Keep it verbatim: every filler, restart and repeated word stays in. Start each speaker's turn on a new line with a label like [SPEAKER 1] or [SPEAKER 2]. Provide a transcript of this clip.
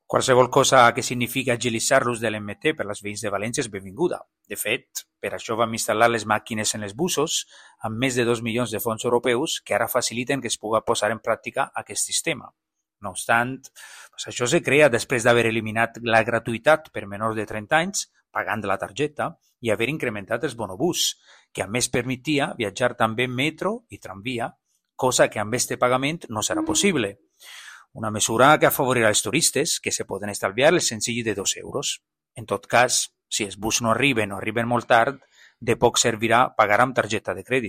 [SPEAKER 1] Qualsevol cosa que significa agilitzar l'ús de l'M T per als veïns de València és benvinguda. De fet, per això vam instal·lar les màquines en els busos amb més de dos milions de fons europeus que ara faciliten que es pugui posar en pràctica aquest sistema. No obstant, doncs això se crea després d'haver eliminat la gratuïtat per menors de trenta anys, pagant la targeta, i haver incrementat els bonobús, que a més permetia viatjar també en metro i tramvia, cosa que amb este pagament no serà possible. Una mesura que afavorirà els turistes, que se poden estalviar el senzill de dos euros. En tot cas, si els bus no arriben o arriben molt tard, de poc servirà pagar amb targeta de crèdit.